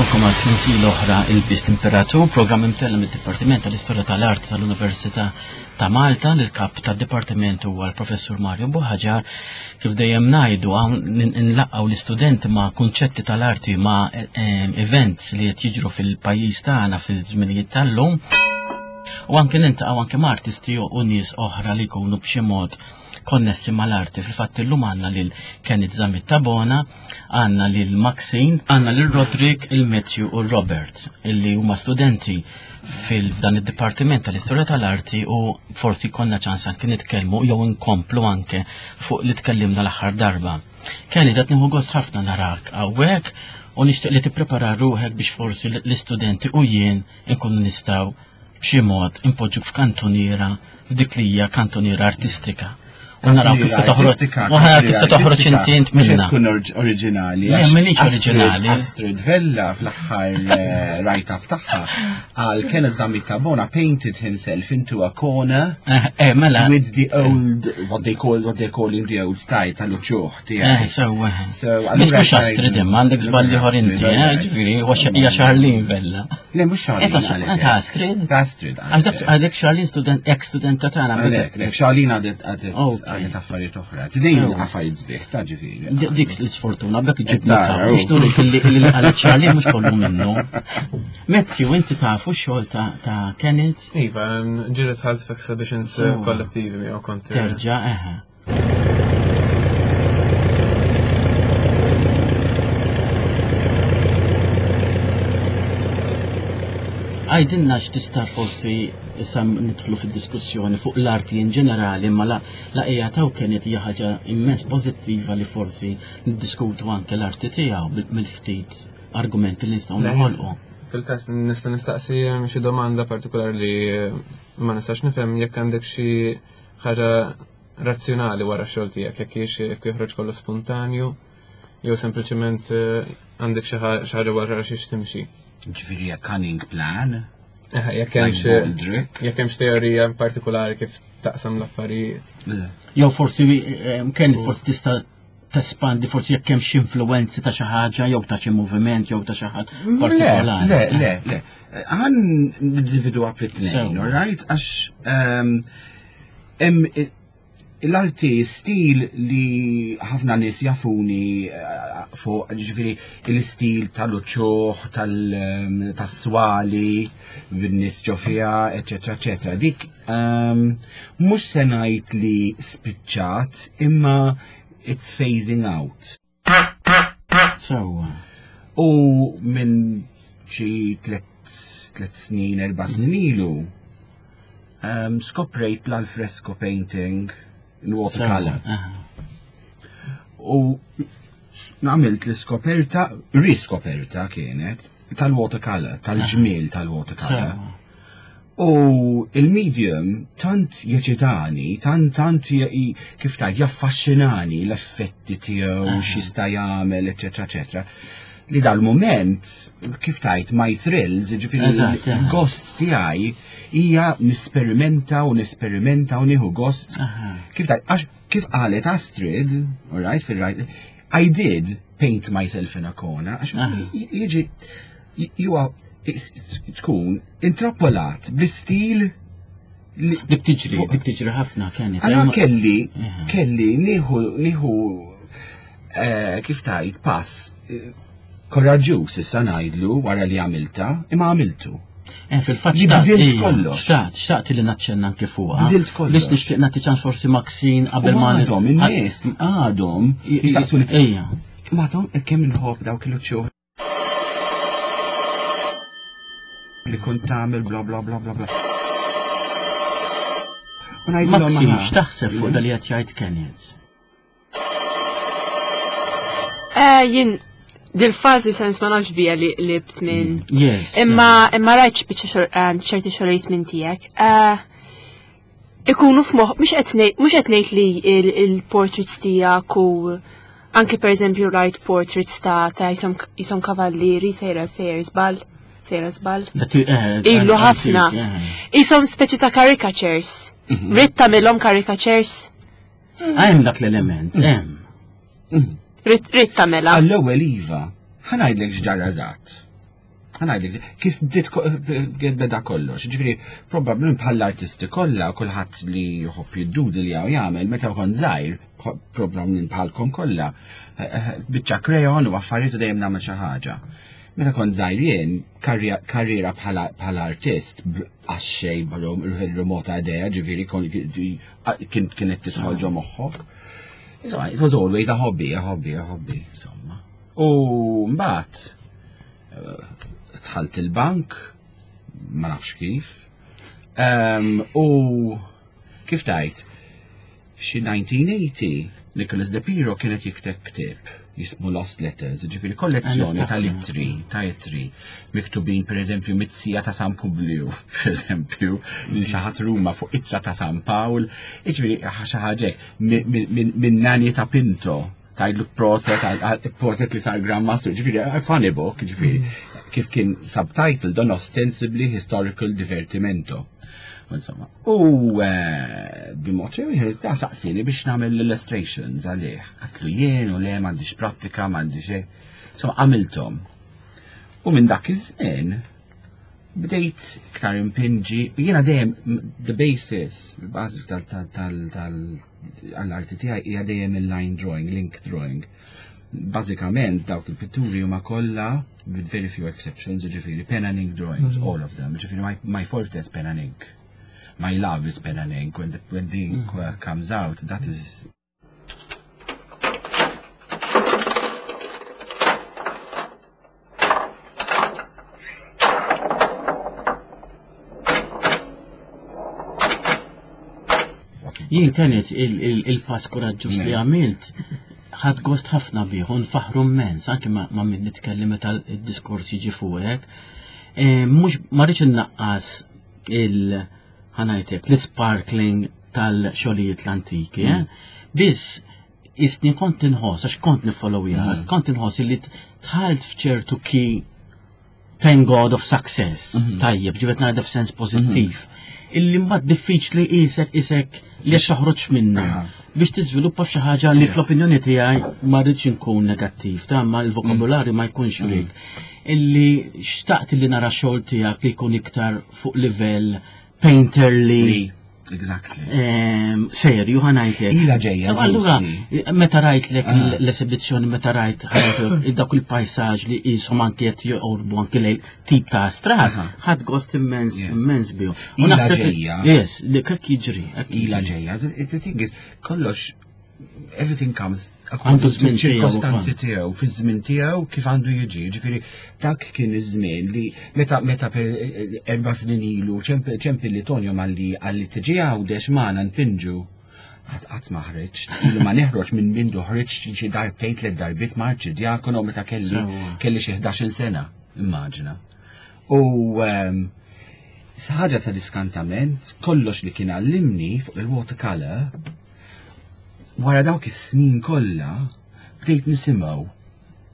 Nilqakom għal sensiela oħra il-Bist Imperatur, programm imtella mid-Dipartiment tal-Istorja tal-Art tal-Università ta' Malta, li l-kap tad-dipartiment huwa l-Professur Mario Buħaġar. Kif dejjem ngħidu hawn nlaqgħu l-istudenti ma' kunċetti tal-arti ma' eh, events li qed jiġru fil-pajjiż tagħna fil-żminijiet tal-lum. U anke nintaqgħu anke ma' artisti u nies oħra li jkunu b'xi mod konnessi mal-arti. Fil-fatt illum għandna lil Kenneth Zammit Tabona, għandna lil Maxine, għandna lil Roderick, il-Matthew u Robert, illi huma studenti fil-dan id-dipartiment tal-istorja tal-arti u forsi konna ċans anke nitkellmu jew inkomplu anke fuq li tkellimna l-aħħar darba. Kenny, qed nieħu gost ħafna narak hawnhekk u nixtieq li tipprepara ruħek biex forsi l-istudenti u jien inkunu nistgħu b'xi mod impoġġuk f'kantuniera f'dik li hija kantuniera artistika. U naraw kif se toħroġ. U naraw kif se toħroġ inti int minna. Tkun oriġinali. Le, m'iniex oriġinali. Astrid Vella fl-aħħar eh, write-up tagħha għal Kenneth Zammit Tabona painted himself into a corner eh, eh, mela. with the old what they call what they call in the old style tal-uċuħ tiegħek. Eh, sewwa. Biss mhux Astrid imma għandek żball ieħor inti, eh, ġifieri hija Charlene Vella. Le, mhux Charlene. Ta' Astrid. Ta' Astrid. Għadek Charlene student, ex studenta tagħna. Le, Charlene għadet għadet affarijiet oħra. Tidejn affarijiet sbieħ ta' ġifieri. Dik l-sfortuna bekk ġibna biex nurik li għalet Charlene mhux kollu minnu. Matthew, inti tafu x-xogħol ta' Kenneth? Iva, ġieli tħalt f'exhibitions kollettivi miegħu kont. Terġa' eħe. Għajdilna x'tista' forsi issa nidħlu fid-diskussjoni fuq l-arti in ġenerali imma la qiegħed hawn kienet hija ħaġa immens pożittiva li forsi niddiskutu anke l-arti tiegħu mill-ftit argumenti li nistgħu noħolqu. Fil-każ nista' nistaqsi xi domanda partikolari li ma nistax nifhem jekk għandek xi ħaġa razzjonali wara x-xogħol tiegħek, jekk hiex jekk joħroġ kollu spontanju, jew sempliċement eh, għandek xi ħaġa wara xiex timxi. Ġifieri a cunning plan. Eh, jekk hemm xi jekk hemm teorija partikolari kif taqsam l-affarijiet. Jew forsi eh, kien forsi tista' tespandi forsi jekk hemm xi influenzi ta' xi ħaġa jew ta' xi moviment jew ta' xi ħadd partikolari. Le, le, le. Għan nindividwa fit-tnejn, all right? Għax ehm, hemm l-arti stil li ħafna nies jafuni eh, fuq ġifieri l-istil tal-uċuħ, ehm, tas-swali, bin-nies ġo fiha, eċetera, eċetera. Dik ehm, mhux se ngħid li spiċċat, imma it's phasing out. Sewwa. U minn xi tlet snin, erba' snin ilu, um, skoprejt l-alfresco painting in watercolor. U għamilt l-iskoperta, riskoperta kienet, tal-watercolor, tal-ġmiel tal-watercolor. U il-medium tant jeċitani, tant tant kif tgħid jaffaxxinani l-effetti tiegħu x'jista' jagħmel, eċetera, eċetera. Li dal-mument, kif tgħid my thrills, ġifieri l-gost tiegħi hija nisperimenta u nesperimenta u nieħu gost. Kif tgħid, għax kif qalet Astrid, all right, fil-right, I did paint myself in a corner, għax jiġi you are tkun intrappolat bl-istil Dik tiġri, dik tiġri ħafna kienet. Allora kelli, kelli nieħu nieħu eh, kif tajt pass eh, koraġġuż issa ngħidlu wara li għamilta, imma għamiltu. Eh, fil-fatt xtaqt kollox. Xtaqt, xtaqt li naċċenna anke fuqha. Bidilt kollox. Biss nixtieq nagħti ċans forsi Maxine qabel ma għadhom in-nies għadhom jistaqsuni. Ejja. Ma kemm inħobb dawk il-uċċuħ li kont tagħmel bla bla bla bla bla. Maxim, x'taħseb fuq dal qed jgħid Kenneth? Eh, jien dil-fażi sens ma nafx bija li libt minn. Mm, yes. Imma imma rajt biċċa eh, ċerti xogħlijiet minn tiegħek. Eh, ikunu f'moħħ mhux qed ngħid li il-portraits tiegħek u anke pereżempju rajt portraits ta' ta' jisom kavallieri sejra sejra żball sejra żball. Eh, Ilu ħafna. Isom speċi ta' caricatures. Mhm. Ridt tagħmilhom caricatures. Hemm dak l-element, mhm. hemm. Mhm. Ridt tagħmilha. Għall-ewwel iva, ħa ngħidlek x'ġara eżatt. Ħa ngħidlek, kif bdiet beda kollox. Ġifieri, probabbilment bħall-artisti kollha, kulħadd li jħobb jiddudi li hawn jagħmel, meta kont żgħir, probabbilment bħalkom kollha, eh, eh, biċċa krejon u affarijiet u dejjem nagħmel xi ħaġa. Meta kont żgħir jien, karriera bħala artist, għax-xejn remota idea, ġifieri kienet tidħol ġo moħħok. Insomma, it was always a hobby, a hobby, a hobby, insomma. U mbagħad dħalt il-bank, ma nafx kif. U kif tajt, f'xi 1980 Nicholas De Piro kienet jikteb ktieb jismu Lost Letters, ġifiri kollezzjoni ta' littri, ta' ittri, miktubin per eżempju mit-sija ta' San Publiu, per eżempju, li xi ħadd Ruma fuq ittra ta' San Pawl, ġifiri xi ħaġa minn Nani ta' Pinto, Tgħidlu proset, proset li sar Grandmaster, ġifieri, a funny book, ġifieri, mm. kif kien subtitle don ostensibly historical divertimento. Insomma, u eh, b'mod ieħor ta' saqsini biex nagħmel l-illustrations għalih. Għatlu jien u le m'għandix prattika, m'għandix hekk. Insomma, għamilthom. U minn dak iż-żmien bdejt iktar impinġi, jiena dejjem the basis, il-bażi tal-arti tiegħi hija dejjem il-line drawing, link drawing. Bażikament dawk il-pitturi huma kollha with very few exceptions, ġifieri pen and ink drawings, mm -hmm. all of them. Ġifieri my, my forte is pen and ink. My love is pen and ink. When the, when the ink mm -hmm. comes out, that is Jien tenis il-pass kuraġġuż li għamilt ħadd gost ħafna bih u nfaħru immens anke ma' min nitkellem meta d-diskors jiġi fuqek. E, mhux ma rridx innaqqas il ħanajtek l-sparkling tal-xogħlijiet l-antiki, eh? mm. Biss isni kont inħoss, għax kont nifollowja, mm. kont inħoss li tħalt f'ċertu ki thank God of success, mm-hmm. tajjeb, ġibet ngħidha f'sens pożittiv. Mm-hmm. Illi mbagħad diffiċli isek isek li għax toħroġ minnu biex tiżviluppa f'xi ħaġa li fl-opinjoni tiegħi ma rridx inkun negattiv, ta' ma l-vokabularju ma jkunx mm. rik. Illi xtaqt li nara xogħol tiegħek li jkun iktar fuq livell painterly. Exactly. Ehm, serju ħanajtlek. Ila ġejja. Allura, meta rajtlek ah. l-esibizzjoni, meta rajt dak il-pajsaġġ li jisom anki qed joqorbu anki lejl tip ta' astrat, ħadd gost immens immens bihom. Ila ġejja. Yes, li kek jiġri. Ila ġejja. The thing is, kollox everything comes għandu żmien ċirkostanzi tiegħu, fiż-żmien tiegħu kif għandu jiġi. Ġifieri dak kien iż-żmien li meta meta per eh, erba' snin ilu ċempi li Tonio malli għalli tiġi għawdex magħna npinġu. Qatt qatt ma ħriġ, ilu ma neħroġ minn mindu ħriġ xi darbtejn tliet darbiet ma' arċidjakono meta kelli kelli xi 11-il sena, immaġina. U ehm, ħaġa ta' diskantament, kollox li kien għallimni fuq il-watercolor Wara dawk is-snin kollha bdejt nisimgħu.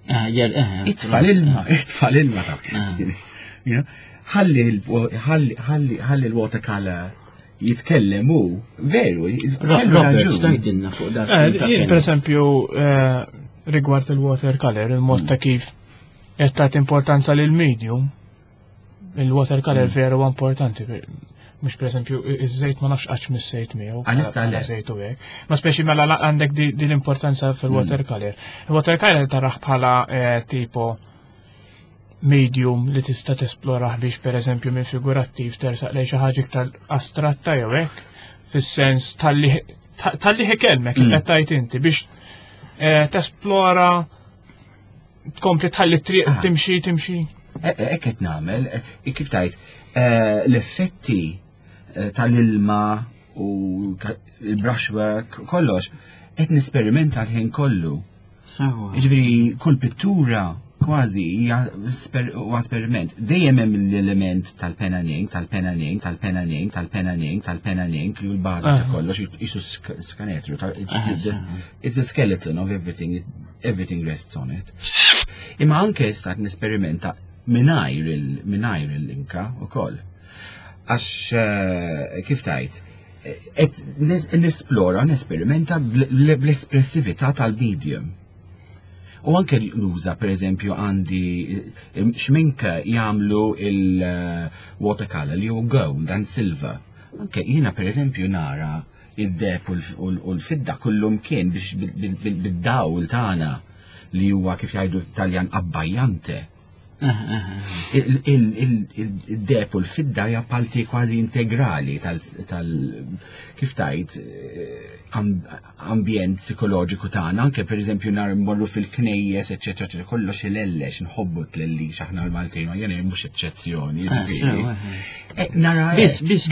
Ah, eh, itfa l-ilma, itfa l-ilma dawk is-snin. Ħalli ħalli l-watercolor jitkellem hu, veru, Robert, x'tajdilna fuq dak. Eh, per eżempju, eh, rigward il-watercolor, il-mod ta' kif qed tagħti importanza lil medium, Il-watercolor mm. veru huwa importanti. Mhux pereżempju iż-żejt ma nafx qatt mis-sejt miegħu. Għalissa le. Żejt u hekk. Ma speċi mela għandek din l-importanza fil-watercolor. Mm. Il-watercolor taraħ bħala eh, tipo medium li tista' tesplorah biex pereżempju minn figurattiv tersaq lejn xi ħaġa iktar astratta jew hekk, fis-sens tal-li tal-li ħikelmek kif mm. qed tgħid inti biex eh, tesplora tkompli tħalli triq ah. timxi timxi. E, e, hekk qed nagħmel, e, kif tajt, l-effetti tal-ilma u il-brushwork, kollox, qed nesperimenta l-ħin kollu. Ġifieri kull pittura kważi hija esperiment. Dejjem hemm l-element tal-pen and ink, tal-pen and ink, tal-pen and ink, tal-pen and ink, tal-pen and ink li hu l-bażi ta' ah. kollox jisu skanetru. It's a skeleton of everything, everything rests on it. Imma anke issa qed nesperimenta mingħajr il-mingħajr il-linka ukoll. Għax eh, kif tajt, qed nesplora, nesperimenta bl-espressività tal-medium. U anke nuża pereżempju għandi eh, xminka jagħmlu il-watercolor li hu gold and silver. Anke jiena pereżempju nara id-deb u l-fidda kullum kien biex bid-dawl tagħna li huwa kif jgħidu Taljan abbajjante. Il-deb u l-fidda hija parti kważi integrali tal kif tajt eh, ambjent psikoloġiku tagħna, anke pereżempju nar mmorru fil-knejjes, eċetera, eċetera, kollox ilellex, nħobbu tlellix aħna l-Maltin, ma jien mhux eċċezzjoni. Ah, ġifieri. eh. Eh, nara Biss, biss,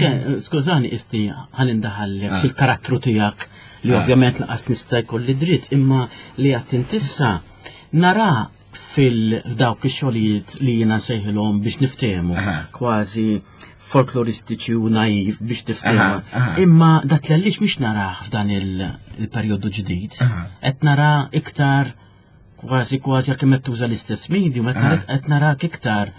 skużani, isti ħalli ndaħallek Ah. fil-karattru tiegħek li Ah. ovvjament laqas nista' jkolli dritt, imma li għat intissa nara fil-dawk ix-xogħlijiet li jiena nsejħilhom biex niftehmu, kważi folkloristiċi u naiv biex niftehmu. Imma dak li għaliex mhix narah f'dan il-perjodu ġdid, qed nara iktar kważi kważi kemm qed tuża l-istess medium, qed narak iktar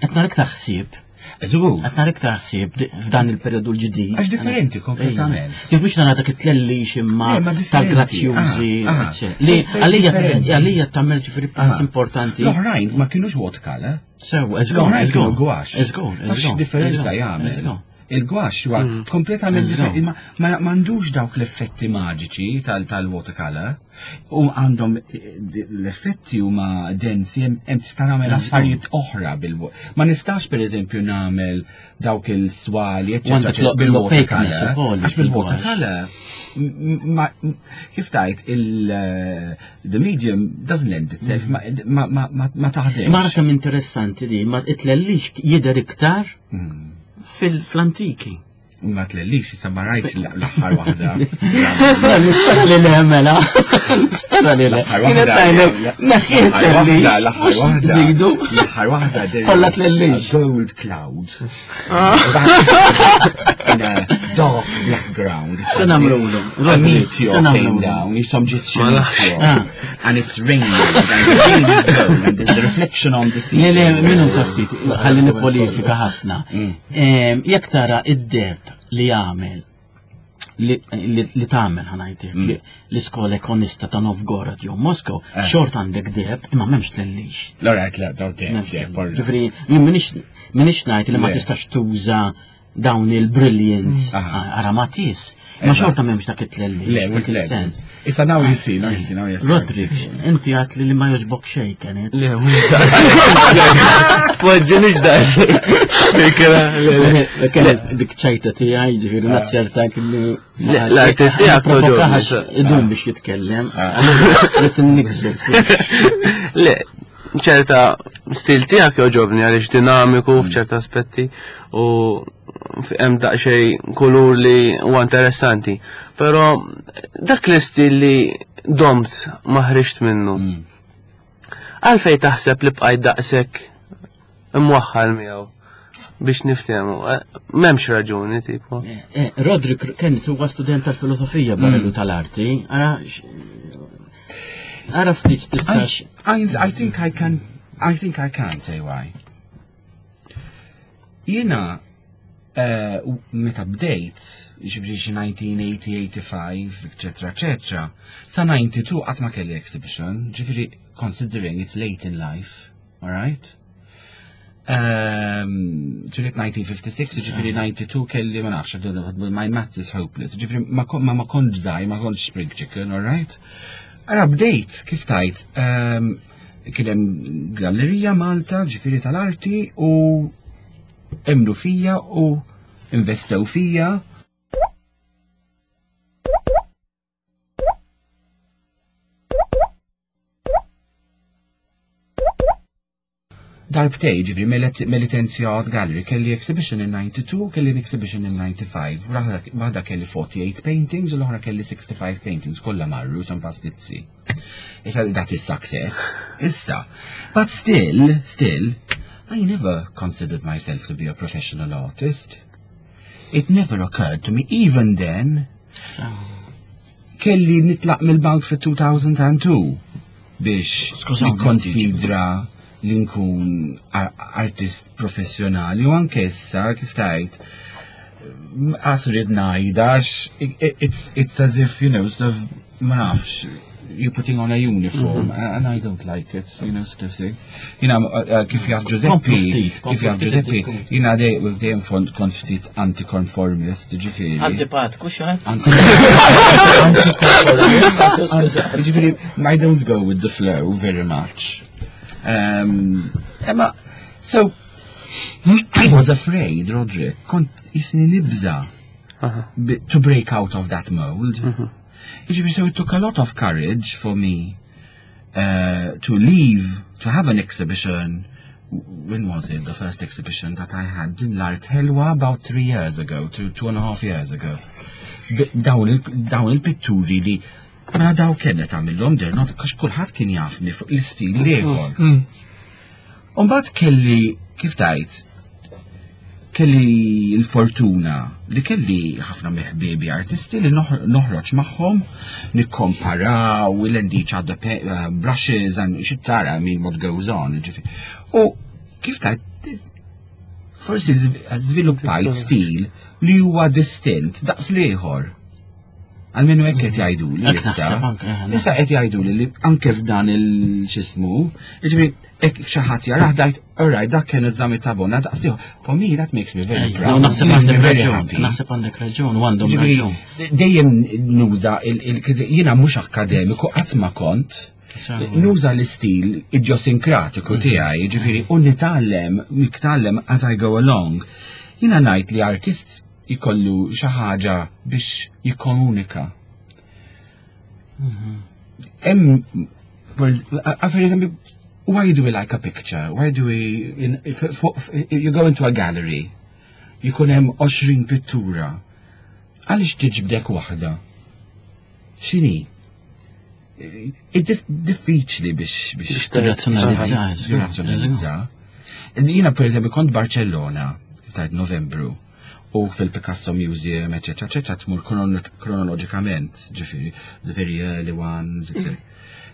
qed nara iktar ħsieb. Żgur. Qed nara iktar ħsieb f'dan il-perjodu l-ġdid. Għax differenti kompletament. Kif mhux nara dak it-tlellix imma tal-grazzjużi. Li għalija għalija tagħmel ġifieri pass importanti. L-oħrajn ma kienux watercolor. Sew, eżgur. L-oħrajn kienu gwax. Eżgur, eżgur. Differenza jagħmel. Il-gwax huwa hmm. kompletament differenti. Ma m'għandux dawk l-effetti maġiċi tal-watercolor. U għandhom eh, l-effetti huma densi hemm tista' nagħmel affarijiet oħra bil Ma nistax pereżempju nagħmel dawk il-swali eċċetera bil-watercolor. Għax bil-watercolor kif tajt il eh, the medium doesn't lend itself mm. ma taħdem. Ma kemm interessanti di, ma itlellix jidher iktar mm. fil-antiki. Ma tlellix, issa ma rajtx l-aħħar waħda. Nispera li le, mela. Nispera li le. L-aħħar waħda. Neħħiet tlellix. L-aħħar waħda. Zidu. L-aħħar waħda. Kolla tlellix. Gold cloud. Ah. In a dark black ground. Se namlu A meteor came down, jisom ġiet xi ah. And it's raining, and the rain is gold, and there's the reflection on the sea. Le, le, minnu taftit, ħalli nikwalifika ħafna. Mm. Jekk tara id-deb li jagħmel li tagħmel ħanajtek mm. l-iskola ekonista ta' Novgorod jew Moskow, eh. xort għandek deb imma m'hemmx tlellix. L-orat la daw deb deb. Ġifieri, jien minix ngħid li ma tistax tuża dawn il-brilliant mm. aramatis. Ma xorta m'hemmx dak it-tlelli. Le, mhux sens. Issa now you see, now you see, now you see. Rodrik, inti għat li ma joġbok xejn kienet. Le, mhux daqs. Poġġi mhux daqs. Kienet dik ċajta tiegħi, ġifieri ah. naċċerta li. L-arti tiegħek toġobni. Idum biex jitkellem. Ah. Rrid inniksu. Le, ċerta stil tiegħek joġobni għaliex dinamiku mm. f'ċerta aspetti u hemm daqsxejn kulur li huwa interessanti. Però dak l-istil li domt ma ħriġt minnu. Mm. Għalfej taħseb li bqajt daqshekk imwaħħal miegħu biex niftehmu. Eh, m'hemmx raġuni tipo. Eh, eh, Rodrik kien huwa student tal-filosofija barellu mm. tal-arti, ara ara ftit tistax. I think I can I think I can say why. Jiena eh, meta bdejt, ġifri xi 1980, 85, eccetera, eccetera, sa 92 qatt ma kelli exhibition, ġifri considering it's late in life, alright? Ehm, ġifri 1956, ġifri 92 kelli ma nafx, my maths is hopeless, ġifri ma ma kontx żgħir, ma kontx spring chicken, alright? Ara bdejt, kif tajt, ehm, Kien hemm gallerija Malta, ġifieri tal-arti u emnu fija u investew fija. Darbtej, ġifri, Melitensia Art Gallery, kelli exhibition in 92, kelli exhibition in 95, waħda kelli 48 paintings u l-oħra kelli 65 paintings, kollha marru, some fastizzi. Issa that is success. Issa. But still, still, I never considered myself to be a professional artist. It never occurred to me, even then. Kelli nitlaq mill-bank fi 2002 biex nikkonsidra li nkun artist professjonali u anke issa kif tajt għas rrid ngħid għax it's, it's as if you know sort of ma nafx. you're putting on a uniform, mm -hmm. and I don't like it, you know, sort of thing. You know, uh, uh, kif jaf Giuseppe, kif jaf Giuseppe, jina dejjem font kont ftit anticonformist, ġifieri. Antipatku xaħat? Anticonformist. Ġifieri, I don't go with the flow very much. Um, Emma, so, I was afraid, Roderick, kont jisni nibza to break out of that mold. Mhm. Ġifieri, so it took a lot of courage for me uh, to leave, to have an exhibition. When was it? The first exhibition that I had din l-art ħelwa about three years ago, two, two and a half years ago. Dawn il-pitturi li mela daw kienet għamillhom they're not għax kulħadd kien jafni fuq l-istil l-ieħor. Mm. Umbagħad kelli kif tajt kelli l-fortuna li kelli ħafna mill-ħbiebi artisti li noħroġ magħhom, nikkomparaw, we lend each other uh, brushes and xi tara I mean what goes on. U kif tajt forsi żviluppajt stil li huwa distint daqs l-ieħor. Għalmenu hekk qed jgħidu li issa. Eh, issa qed jgħidu li anke f'dan il-xismu, jiġifieri hekk xi ħadd jarah dajt, alright, dak kien iż-żami ta' bona daqs ieħor. For me that makes me very proud. Naħseb għandek raġun, naħseb għandek raġun u għandhom raġun. Dejjem nuża jiena mhux akademiku qatt ma kont. Nuża l-istil idjosinkratiku mhm. tiegħi, jiġifieri u nitgħallem, nitgħallem as I go along. Jiena ngħid li artist jkollu xi ħaġa biex jikkomunika. Mhm. Hemm per eżempju, why do we like a picture? Why do we in, if, if, if you go into a gallery, jkun hemm 20 pittura. Għaliex tiġbdek waħda? X'inhi? Diffiċli biex biex tirrazzjonalizza. Jiena per eżempju kont Barcellona, tajt Novembru, u fil-Picasso Museum, eccetera, eccetera, tmur kronoloġikament, ġifieri, the very early ones, etc.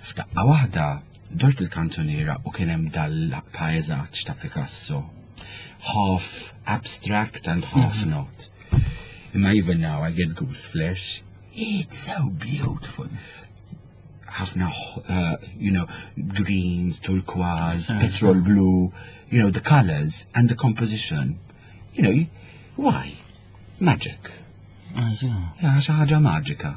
F'daqqa waħda, dort il-kantuniera u kien hemm dal-pajzaġġ ta' Picasso. Half abstract and half mhm. not. Imma even now I get goose flesh. It's so beautiful. Ħafna, uh, you know, greens, turquoise, petrol blue, you know, the colors and the composition. You know, why? Magic. Ja, xi ħaġa maġika.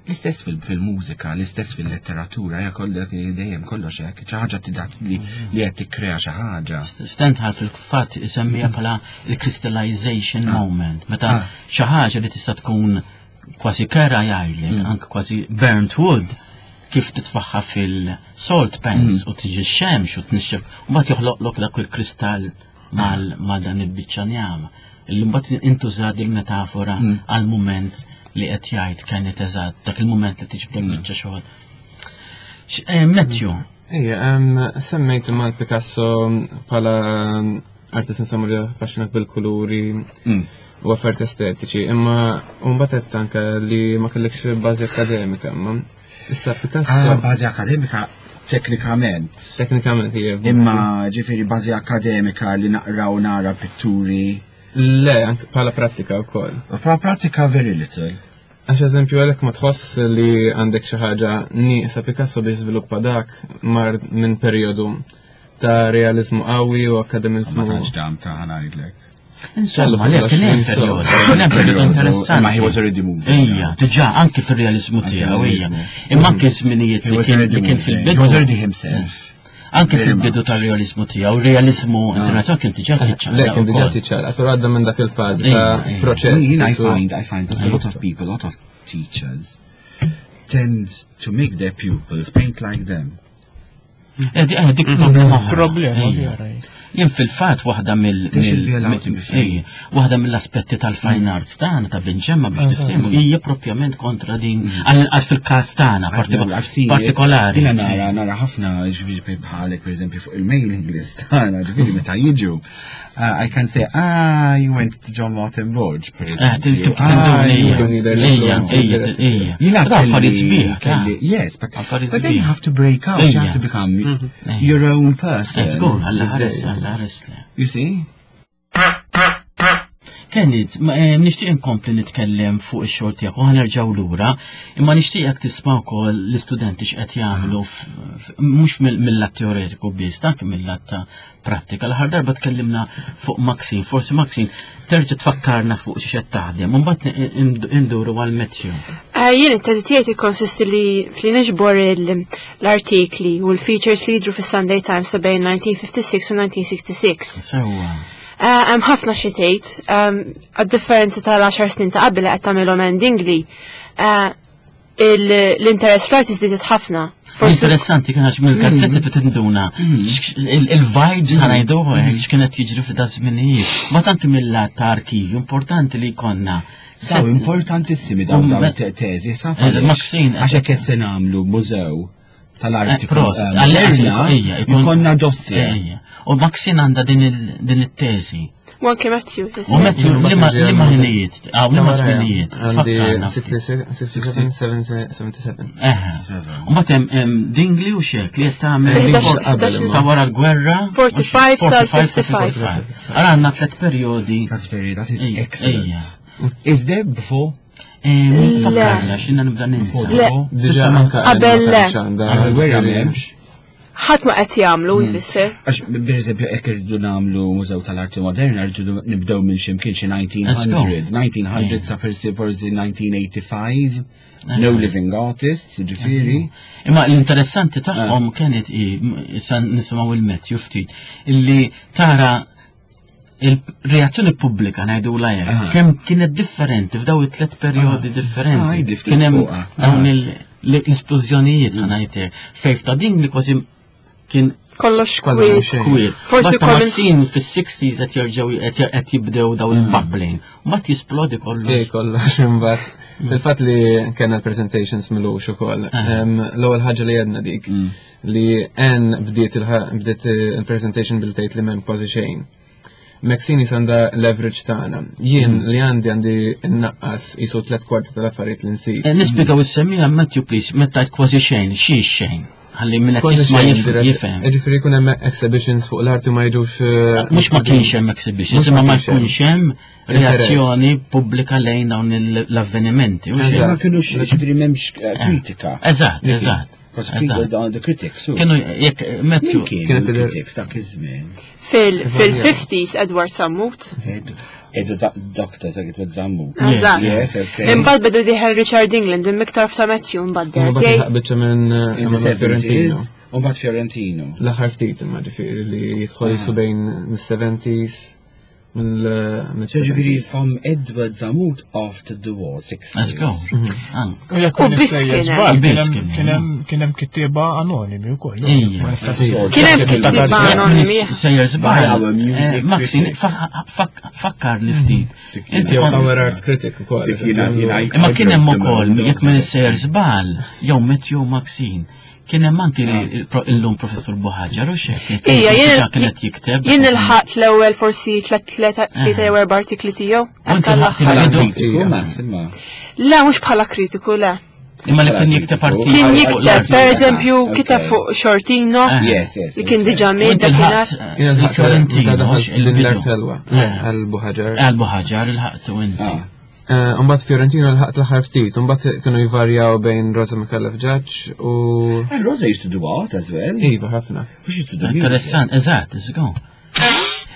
L-istess fil-mużika, l-istess fil-letteratura, ja kollok dejjem kollox hekk, xi ħaġa tidat li li qed tikkrea xi ħaġa. Stendhal fil-fatt isemmija bħala il-crystallization ah. moment, meta ah. xi ħaġa li tista' tkun kważi kera jgħidlek, mm. anke kważi burnt wood, kif titfaħħa fil-salt pans mm. u tiġi x-xemx u tnixxef, u mbagħad joħloqlok dak il-kristall ma' dan il-biċċa njama. Illi mbagħad intuża il-metafora mm. għal mument li qed jgħid kienet eżatt dak il-mument li tiġbdek mm. biċċa xogħol. Eh, Matthew. Ejja, semmejt mal Picasso bħala artist insomma li affaxxinak bil-kuluri mm. u affarijiet estetiċi, imma mbagħad qed anke li ma kellekx bażi akademika, imma issa Picasso. Ah, bażi akademika teknikament. Teknikament, hija. Imma ġifieri bażi akademika li naqra u nara pitturi. Le, anke bħala prattika wkoll. Bħala prattika very little. Għax eżempju għalhekk ma tħoss li għandek xi ħaġa nieqsa Picasso biex żviluppa dak mar minn perjodu ta' realizmu qawwi u akademizmu. Ma tantx dam ta' ħanajdlek. Insomma, le, kien hemm perjodu, kien hemm perjodu interessanti. Ma he was already moving. Ejja, diġà anki fir-realizmu tiegħu, ejja. Imma anke żminijiet li kien fil-bidu. He was already himself. Anke fil-bidu tar-realizmu tiegħu, realizmu ah. internazzjonali kien diġà tiċċaqlaq. Le, kien diġà tiċċaqlaq, però għadda minn dak il-fażi ta' proċess. I find, I find that a lot of people, a lot of teachers tend to make their pupils paint like them. Eh, eh, dik problema oħra. Problema vera. Jien fil-fatt waħda mill waħda mill-aspetti tal-fine mm. arts tagħna ta' binġemma biex tifhmu hija propjament kontra din mm. għall-inqas fil-każ tagħna partikolari. Jiena nara nara ħafna ġifieri bħalek pereżempju fuq il-mailing list tagħna ġifieri meta jiġu Uh, I can say, ah, you went to John Martin Borg, per eh, esempio. Ah, yes, but, but then you have to break out, you have to become mm-hmm. your own person. You see? Kenneth, eh, nixtieq inkompli nitkellem fuq ix-xogħol tiegħek u ħanerġgħu lura, imma nixtieqek tisma' wkoll l-istudenti x'qed jagħmlu mhux mill-lat teoretiku biss, dak mill-lat ta' prattika. L-aħħar darba tkellimna fuq Maxine, forsi Maxine terġa' tfakkarna fuq xi qed taħdem, u mbagħad induru għal Matthew. Eh, jien it-teżi tiegħi tikkonsisti li fli niġbor l-artikli u l-features li jidru fis-Sunday Times ta' bejn 1956 u 1966. Sewwa. Eh, hemm ħafna xi tgħid, ehm, għad-differenza tal-10 snin ta' qabel qed tagħmilhom endingli, eh, l-interess fl-arti żdiedet ħafna. Interessanti kien għax mill-gazzetti mm. tinduna mm. il-vibes mm. ħanajdu eh, x'kienet jiġri f'da żminijiet. Ma tant mill-lat ta' arkivju importanti li jkollna. Daw importantissimi dawn dawn teżi sa' Għax hekk se nagħmlu mużew tal-arti. Eh, eh, jkollna dossier. U Maxine għandha din it-teżi. U anke Matthew. U Matthew, li ma ħinijiet, għaw li ma żminijiet. Għandi 67, 77. U matem Dingli u xek li qed tagħmel sa wara l-gwerra. 45 sal 55. Ara għandna tliet perjodi. That's very, that is excellent. Is there before? Fakkarna, xinna nibda ninsa. Qabel le. Qabel gwerra m'hemmx. Ħadd ma qed jagħmlu hmm. jfisser. Għax pereżempju hekk irridu nagħmlu Mużew tal-Arti Moderna rridu nibdew minn xi mkien xi 1900, 1900 sa forsi forsi 1985. No living artists, ġifieri. Imma l-interessanti tagħhom ah. kienet issa nisimgħu il-Matthew ftit illi tara il-reazzjoni pubblika ngħidu la hekk, ah. kemm kienet differenti f'daw it-tlet perjodi ah. differenti. Ah, kien hemm dawn l-isplużjonijiet mm. ngħidlek. Fejf ta' din li kważi kien kollox kwiet. Forsi Maxine fis-60s qed jerġgħu qed jibdew daw mm. il-bubbling. Mbagħad jisplodi kollox. Ej kollox imbagħad. Mm. Il-fatt li kellna l-presentations milux ukoll. L-ewwel ħaġa li għedna dik. Li Ann bdiet bdiet il-presentation billi tgħid li m'hemm kważi xejn. Maxine għandha leverage tagħna. Jien hmm. li għandi għandi nnaqqas isu tliet kwarti tal-affarijiet li nsib. Eh, nispjegaw is-semmija Matthew please, meta tgħid kważi xejn, xi xejn. Ħalli minn qed jisma' jifhem. Ġifieri jkun hemm exhibitions fuq l-arti ma jiġux. Eh, Mhux ma kienx hemm exhibitions, imma ma jkunx hemm reazzjoni pubblika lejn dawn l-avvenimenti. Ma kienux ġifieri m'hemmx eh, kritika. Eżatt, eżatt. The critics. Kienu jekk Matthew. Kienu critics dak iż-żmien. Fil-50s Edward Sammut. Edu Dr. Edward Sammut. Eżatt. Imbagħad beda diħel Richard England imiktar f'ta' Matthew mbagħad. Biċċa minn eh, Fiorentino. U mbagħad Fiorentino. L-aħħar ftit imma ġifieri li jidħol jisu bejn mis-70s Ġifieri from Edward Zamut after the war, 60s. Let's go. Mhm. Ah. U Kien hemm kittieba anonimi wkoll. Kien hemm kittieba anonimi. Sejjer żball. Eh, Maxi, fakkar li ftit. Inti our art critic ukoll. Imma kien hemm ukoll jekk minn sejjer żball jew Matthew Maxine. Kien hemm anki illum Professur Buħaġar u xek. Ija, jien kienet jikteb. Jien ilħaqt l-ewwel forsi tlet tlieta jew erba' artikli tiegħu. Le, mhux bħala kritiku, le. Imma li kien jikteb artikli. Kien jikteb, per eżempju, kiteb fuq Shortino. Ah. Yes, yes. Li kien diġà miet dakinhar. Kien il-Fiorentino. L-Artelwa. Għal-Buħaġar. Għal-Buħaġar il-ħaqtu inti. Ah. Eh, Umbat Fiorentino l-ħaqt l-aħħar ftit, umbat kienu jvarjaw bejn Rosa Micallef Judge u. Eh, Rosa used to do art as well. Iva, ħafna. Interessant, eżatt, eżatt.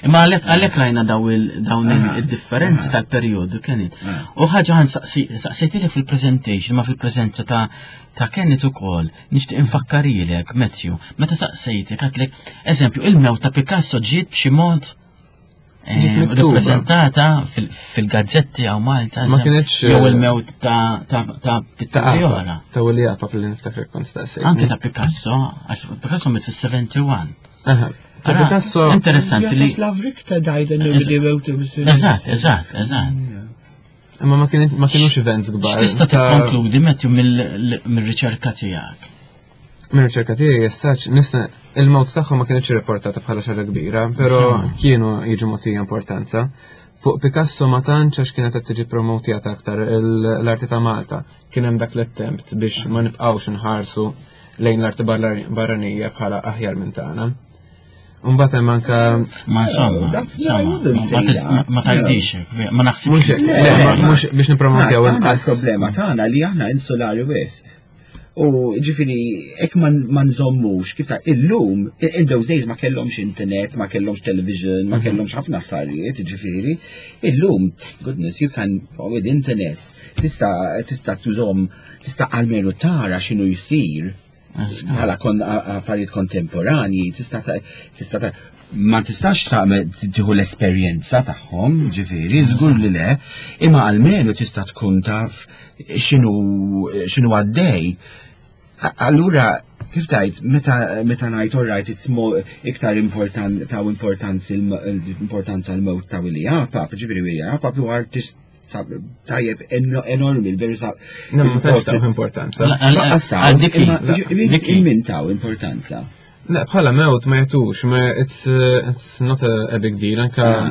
Imma għalek għalek rajna dawn ah. il-differenzi ah. tal-periodu kienet. Ah. U ħaġa għan saqsejtilek fil-presentation, ma fil-prezenza ta' ta' Kenneth ukoll, nixtieq infakkarilek, Matthew, meta saqsejtek għatlek, eżempju, il-mew ta' Picasso ġiet b'xi mod Ġiet miktuba. Rappresentata fil-gazzetti għaw Malta. Ma kienx. Jew eh, il-mewt ta' ta' ta' Pittura. Ta' Willi Apap li niftakar kont staqsejt. Anke ta' Picasso, għax Picasso mit fis-71. Ta' Picasso. Interessanti li. Jaroslav Richter died and nobody wrote it. Eżatt, eżatt, eżatt. Imma ma kienux events kbar. X'tista' tikkonkludi Matthew mill-riċerka tiegħek? Mir-riċerka tiegħi jessaċ nista' il-mewt tagħhom ma kienx irrapportata bħala xi ħaġa kbira, però kienu jiġu mogħtija importanza. Fuq Picasso ma tantx għax kienet qed tiġi promotjata aktar l-arti ta' Malta. Kien hemm dak l-attempt biex ma nibqgħux nħarsu lejn l-arti barranija bħala aħjar minn tagħna. Mbagħad hemm anke Ma insomma, insomma, ma tgħidix hekk, ma naħsibx. Mhux biex nippromotew inqas. Problema tagħna li aħna insulari wisq. U ġifiri, ek ma nżommux, kif ta' illum, in those days ma kellhomx internet, ma kellhomx television, ma mhm. kellhomx ħafna affarijiet, ġifiri, illum, thank goodness, you can, with internet, tista' tista' tużom, tista' almenu tara x'inhu jsir bħala affarijiet kontemporanji, tista' tista' ma tistax tagħmel tieħu l-esperjenza tagħhom, ġifieri, żgur li le, imma almenu tista' tkun taf x'inhu għaddej. Allura, kif tajt, meta meta ngħid all right, it's more iktar important taw importanza importanza l-mewt ta' Willie Apap, ġifieri Willie Apap huwa artist tajjeb enormi, l-veru sa. Ma tantx taw importanza. Lanqas taw, imma taw importanza. Le, bħala mewt ma jagħtux, ma it's, uh, it's not a, a big deal, anka ah.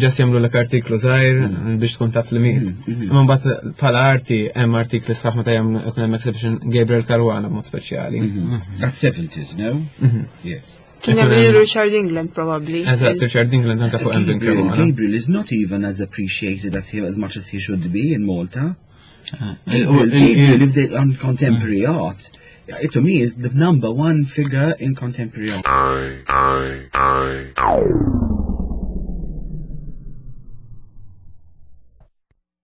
ġas jagħmlu l artiklu żgħir mm. biex tkun taf li miet. Mm, mm. Imma mbagħad bħala arti hemm artikli sħaħ meta jagħmlu ikun hemm exhibition Gabriel Caruana b'mod speċjali. Mm-hmm. That's 70s, no? Mm-hmm. Yes. Kien hemm Richard England probably. Eżatt, Richard England anka fuq Emblem Caruana. Gabriel is not even as appreciated as he as much as he should be in Malta. Ah. Gabriel, Gabriel lived on contemporary art. It, to me is the number one figure in contemporary art.